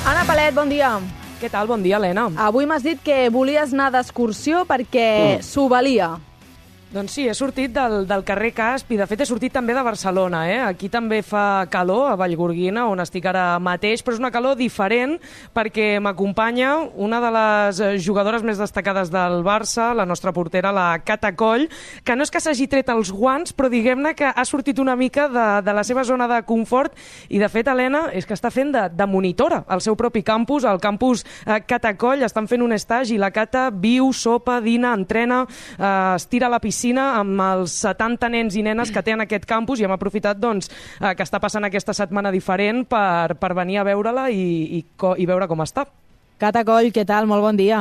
Anna Palet, bon dia. Què tal? Bon dia, Helena. Avui m'has dit que volies anar d'excursió perquè s'ho valia. Doncs sí, he sortit del carrer Casp i de fet he sortit també de Barcelona. Aquí també fa calor, a Vallgorguina, on estic ara mateix, però és una calor diferent perquè m'acompanya una de les jugadores més destacades del Barça, la nostra portera, la Cata Coll, que no és que s'hagi tret els guants, però diguem-ne que ha sortit una mica de la seva zona de confort i de fet, Helena, és que està fent de monitora al seu propi campus, al campus Cata Coll, estan fent un estatge i la Cata viu, sopa, dina, entrena, es tira a la piscina amb els 70 nens i nenes que té en aquest campus i hem aprofitat doncs, que està passant aquesta setmana diferent per venir a veure-la i veure com està. Cata Coll, què tal? Molt bon dia.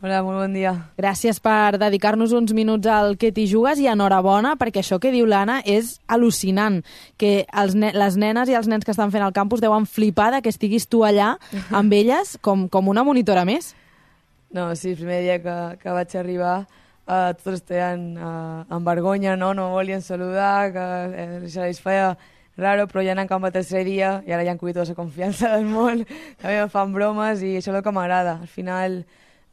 Hola, molt bon dia. Gràcies per dedicar-nos uns minuts al que t'hi jugues i enhorabona, perquè això que diu l'Anna és al·lucinant, que les nenes i els nens que estan fent al campus deuen flipar que estiguis tu allà amb elles com una monitora més. No, sí, el primer dia que vaig arribar tots estaven amb vergonya, no volien saludar, que se les feia raro, però ja anant cap al tercer dia i ara ja han cogido tota la confiança del món, també em fan bromes i això és el que m'agrada. Al final,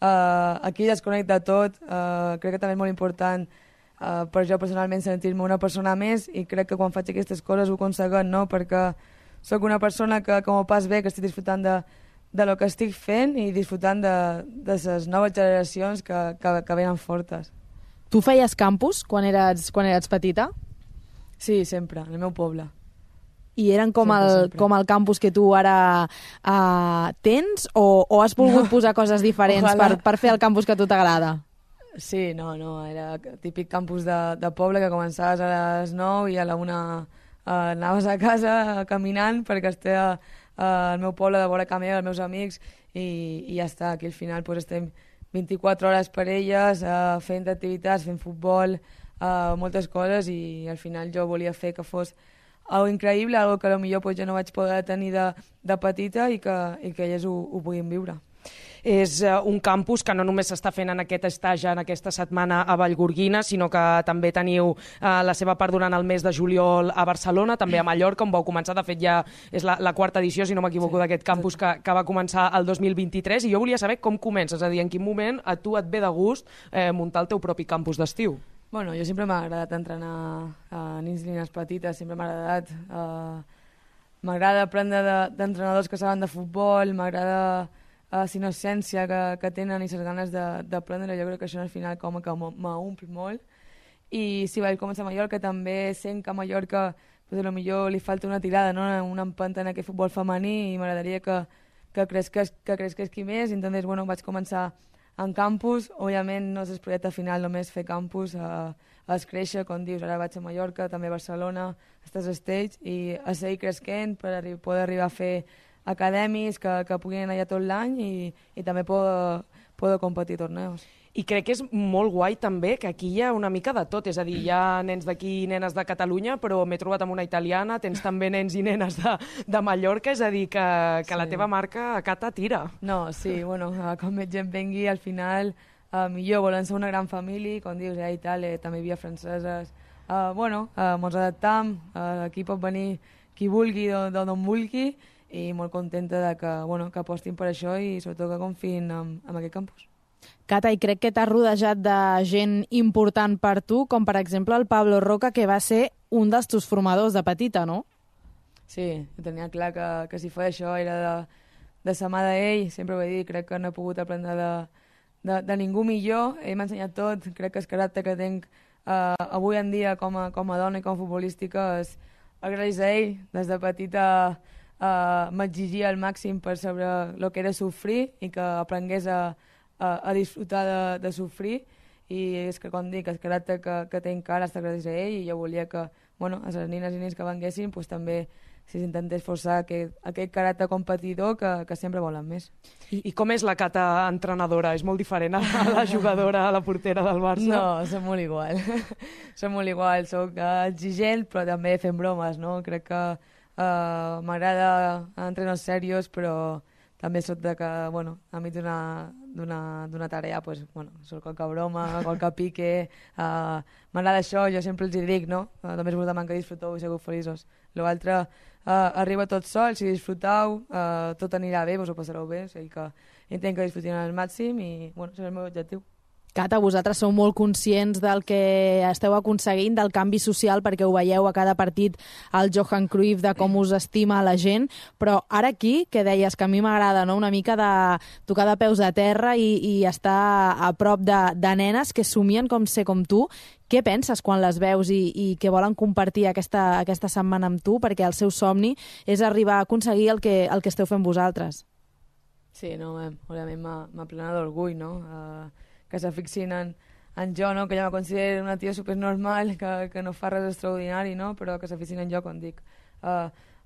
aquí desconnecta tot, crec que també és molt important per jo personalment sentir-me una persona més i crec que quan faig aquestes coses ho aconseguim, no? Perquè sóc una persona que m'ho pas bé, que estic disfrutant de lo que estic fent i disfrutant de les noves generacions que venen fortes. Tu feies campus quan eres petita? Sí, sempre, en el meu poble. I eren com el campus que tu ara tens o has volgut posar coses diferents per fer el campus que a tu t'agrada? Sí, no, era típic campus de poble que començaves a les 9 i a la 1 anaves a casa caminant perquè estia al meu poble de vora camí, els meus amics, i ja està. Aquí al final pues, estem 24 hores per elles, fent activitats, fent futbol, moltes coses, i al final jo volia fer que fos algo increïble, algo que potser pues, jo no vaig poder tenir de petita i que elles ho puguin viure. És un campus que no només s'està fent en aquest estatge, en aquesta setmana a Vallgorguina, sinó que també teniu la seva part durant el mes de juliol a Barcelona, també a Mallorca, on vau començar. De fet, ja és la quarta edició, si no m'equivoco, d'aquest campus que va començar el 2023, i jo volia saber com comences, és a dir, en quin moment a tu et ve de gust muntar el teu propi campus d'estiu. Bueno, jo sempre m'ha agradat entrenar nens i nenes petites, sempre m'ha agradat. M'agrada aprendre d'entrenadors que saben de futbol, m'agrada la innocència que tenen i les ganes d'aprendre. Jo crec que això al final com que m'omple molt. I sí, vaig començar a Mallorca, també sent que a Mallorca potser li falta una tirada, no? Una empenta en aquest futbol femení i m'agradaria que cresqués qui més. Entonces, bueno, vaig començar en campus. Òbviament no és el projecte final només fer campus, és créixer, com dius, ara vaig a Mallorca, també a Barcelona, estàs stage, i a seguir creixent per poder arribar a fer academis que puguin anar allà tot l'any i també poder competir torneos. I crec que és molt guai també que aquí hi ha una mica de tot, és a dir, hi ha nens d'aquí i nenes de Catalunya, però m'he trobat amb una italiana, tens també nens i nenes de Mallorca, és a dir, que sí. La teva marca Cata tira. No, sí, bueno, com més gent vengui, al final, millor, volen ser una gran família, com dius, a Itàlia també hi havia franceses, mos adaptam, aquí pot venir qui vulgui, d'on vulgui, i molt contenta que apostin per això i sobretot que confiïn en aquest campus. Cata, i crec que t'has rodejat de gent important per tu, com per exemple el Pablo Roca, que va ser un dels teus formadors de petita, no? Sí, tenia clar que si feia això era de sa mà d'ell, sempre ho he dit, crec que no he pogut aprendre de ningú millor, ell m'ha ensenyat tot, crec que el caràcter que tinc avui en dia com a dona i com a futbolística és gràcies a ell. Des de petita m'exigia al màxim per saber el que era sofrir i que aprengués a disfrutar de sofrir, i és que, com dic, el caràcter que tinc ara està gràcies a ell, i jo volia que a les nines i nens que venguessin també s'intentés forçar aquest caràcter competidor que sempre volen més. I com és la Cata entrenadora? És molt diferent a la jugadora, a la portera del Barça? No, som molt igual. Som molt igual, soc exigent però també fent bromes, no? Crec que m'agrada entrenar serios, però també soc de que, enmig d'una tarea, surt qualque broma, qualque pique, m'agrada això, jo sempre els dic, no? Només voldran que disfruteu i sigueu feliços. L'altre arriba tot sol, si disfruteu, tot anirà bé, vos ho passareu bé, o sigui que entenc que disfrutin al màxim i, bueno, és el meu objectiu. Cata, vosaltres sou molt conscients del que esteu aconseguint, del canvi social, perquè ho veieu a cada partit al Johan Cruyff, de com us estima la gent, però ara aquí, que deies que a mi m'agrada, no? Una mica de tocar de peus a terra i estar a prop de nenes que somien com ser com tu, què penses quan les veus i que volen compartir aquesta setmana amb tu, perquè el seu somni és arribar a aconseguir el que esteu fent vosaltres? Sí, no, òbviament m'ha plena d'orgull, no? Que se fixin en jo, no? Que jo me considero una tia supernormal, que no fa res extraordinari, no? Però que se fixin en jo, com dic.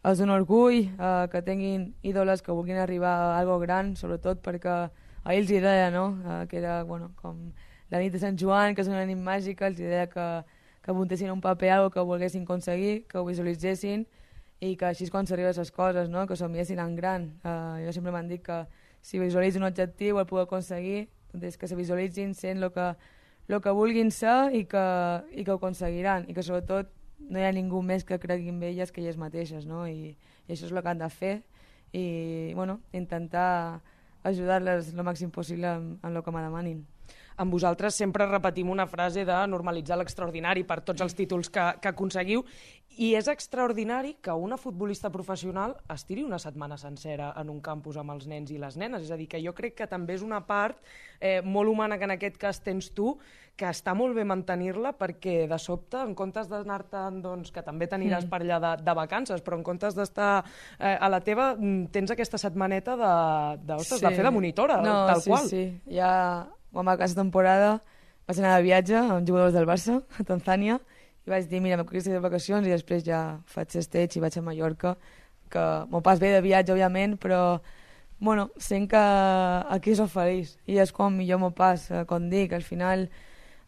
És un orgull que tinguin ídoles que vulguin arribar a algo gran, sobretot perquè ahir els deia, no? Que era, bueno, com la nit de Sant Joan, que és una nit màgica, els deia que apuntessin un paper algo que volguessin aconseguir, que ho visualitzessin i que així és quan s'arriben les coses, no? Que somiessin en gran. Jo sempre m'han dit que si visualitzo un objectiu el puc aconseguir, doncs que se visualitzin sent el que vulguin ser i que ho aconseguiran, i que sobretot no hi ha ningú més que cregui en elles que elles mateixes, no? I això és el que han de fer i, bueno, intentar ajudar-les el màxim possible en el que me demanin. Amb vosaltres sempre repetim una frase de normalitzar l'extraordinari per tots els títols que aconseguiu, i és extraordinari que una futbolista professional es tiri una setmana sencera en un campus amb els nens i les nenes. És a dir, que jo crec que també és una part molt humana que en aquest cas tens tu, que està molt bé mantenir-la, perquè de sobte, en comptes d'anar-te'n, doncs, que també t'aniràs per allà de vacances, però en comptes d'estar a la teva, tens aquesta setmaneta de fer de monitora, tal qual. Sí. Ja, quan va acabar la temporada, vaig anar de viatge amb jugadors del Barça, a Tanzània, i vaig dir, mira, m'acolliré de vacacions i després ja faig stage i vaig a Mallorca, que m'ho pas bé de viatge, òbviament, però, bueno, sent que aquí soc feliç i és quan millor m'ho pas, com dic, al final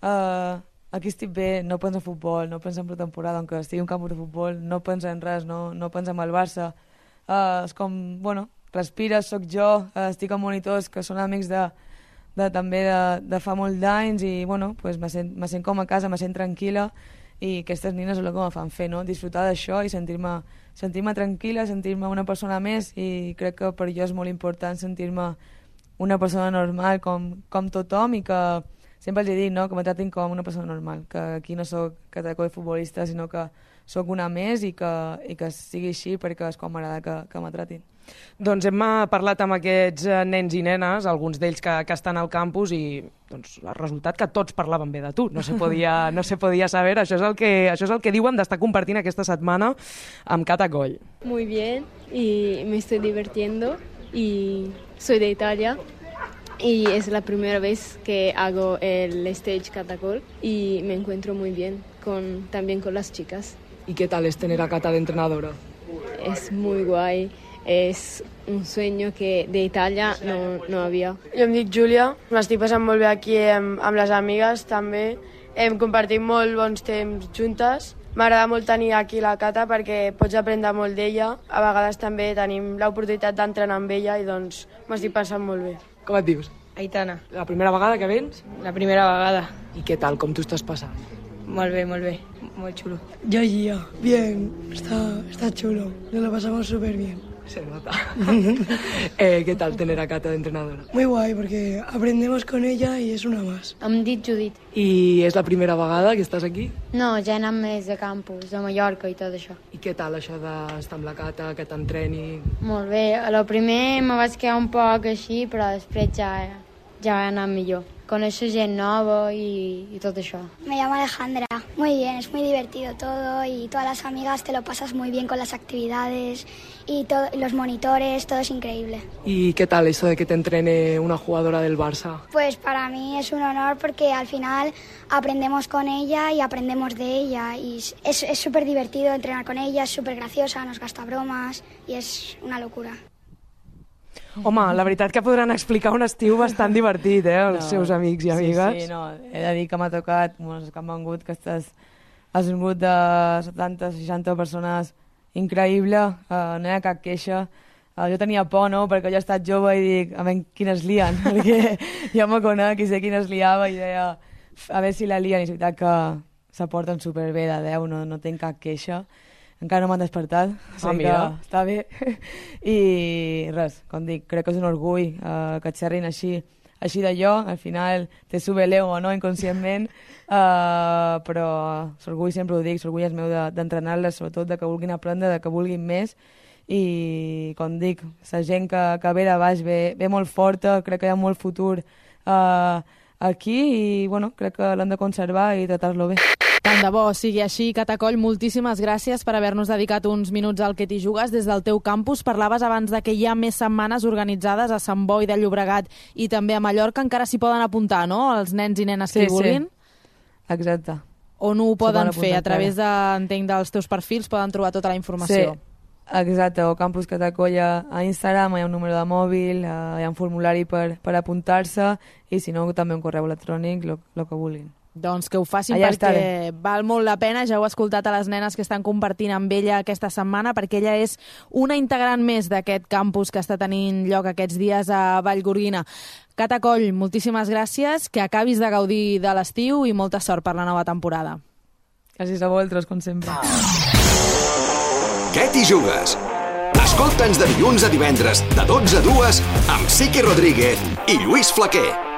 aquí estic bé, no penso en futbol, no penso en pretemporada, aunque estigui en un camp de futbol, no penso en res, no penso en el Barça. És com, bueno, respires, sóc jo, estic amb monitors que són amics també de fa molt d'anys i, bueno, pues me sent com a casa, me sent tranquil·la i aquestes nines és el que me fan fer, no? Disfrutar d'això i sentir-me tranquil·la, sentir-me una persona més, i crec que per jo és molt important sentir-me una persona normal com tothom, i que sempre els he dit, no? Que me tratin com una persona normal, que aquí no soc categoria futbolista, sinó que soc una més i que sigui així perquè és com m'agrada que me tratin. Doncs hem parlat amb aquests nens i nenes, alguns d'ells que estan al campus, i doncs, el resultat que tots parlaven bé de tu. No se podia saber. Això és el que diuen d'estar compartint aquesta setmana amb Cata Coll. Muy bien, y me estoy divirtiendo, y soy de Italia, y es la primera vez que hago el stage Catacol, y me encuentro muy bien, también con las chicas. ¿Y qué tal es tener a Cata de entrenadora? Es muy guay. És un sueño que d'Itàlia no havia. Jo em dic Júlia, m'estic passant molt bé aquí amb les amigues també. Hem compartit molt bons temps juntes. M'agrada molt tenir aquí la Cata perquè pots aprendre molt d'ella. A vegades també tenim l'oportunitat d'entrenar amb ella i doncs m'estic passant molt bé. Com et dius? Aitana. La primera vegada que vens? La primera vegada. I què tal, com t'ho estàs passant? Molt bé, molt xulo. Yo y yo, bien, está chulo, nos lo pasamos súper bien. Se nota. ¿Qué tal tener a Cata de entrenadora? Muy guay, porque aprendemos con ella y es una más. Em dic Judit. I és la primera vegada que estàs aquí? No, ja he anat més de campus, de Mallorca i tot això. I què tal això d'estar amb la Cata, que t'entreni? Molt bé, a lo primer me vaig quedar un poc així, però després ja ha anat millor. Conèixer gent nova y todo eso. Me llamo Alejandra. Muy bien, es muy divertido todo y todas las amigas te lo pasas muy bien con las actividades y los monitores, todo es increíble. ¿Y qué tal eso de que te entrene una jugadora del Barça? Pues para mí es un honor porque al final aprendemos con ella y aprendemos de ella y es súper divertido entrenar con ella, es súper graciosa, nos gasta bromas y es una locura. Home, la veritat que podran explicar un estiu bastant divertit, els seus amics i amigues. Sí, no, he de dir que m'ha tocat, que m'han vengut, que has vingut de 70-60 persones increïble, no hi ha cap queixa. Jo tenia por, no?, perquè jo he estat jove i dic, a veure quines lien, perquè jo me conec i sé quines liava i deia, a veure si la lien, i és veritat que se porten superbé de 10, no tinc cap queixa. encara no m'han despertat, mira. que està bé. I res, com dic, crec que és un orgull que et xerrin així d'allò, al final te sube l'ego, no?, inconscientment, però l'orgull sempre ho dic, l'orgull és meu d'entrenar-les, sobretot de que vulguin aprendre, de que vulguin més, i com dic, la gent que ve de baix ve molt forta, crec que hi ha molt futur aquí i bueno, crec que l'hem de conservar i tratar-lo bé. Tant de bo sigui així. Cata Coll, moltíssimes gràcies per haver-nos dedicat uns minuts al Que t'hi jugues des del teu campus. Parlaves abans de que hi ha més setmanes organitzades a Sant Boi de Llobregat i també a Mallorca. Encara s'hi poden apuntar, no?, els nens i nenes que hi vulguin. Sí, exacte. On ho poden fer? A través entenc, dels teus perfils poden trobar tota la informació. Sí, exacte, o Campus Cata Coll a Instagram, hi ha un número de mòbil, hi ha un formulari per apuntar-se i si no també un correu electrònic, el que vulguin. Doncs que ho facin allà perquè estaré. Val molt la pena. Ja heu escoltat a les nenes que estan compartint amb ella aquesta setmana, perquè ella és una integrant més d'aquest campus que està tenint lloc aquests dies a Vallgorguina. Cata Coll, moltíssimes gràcies, que acabis de gaudir de l'estiu i molta sort per la nova temporada. Gràcies a vosaltres, com sempre. Què t'hi jugues? Escolta'ns de dilluns a divendres, de 12 a 2, amb Sique Rodríguez i Lluís Flaquer.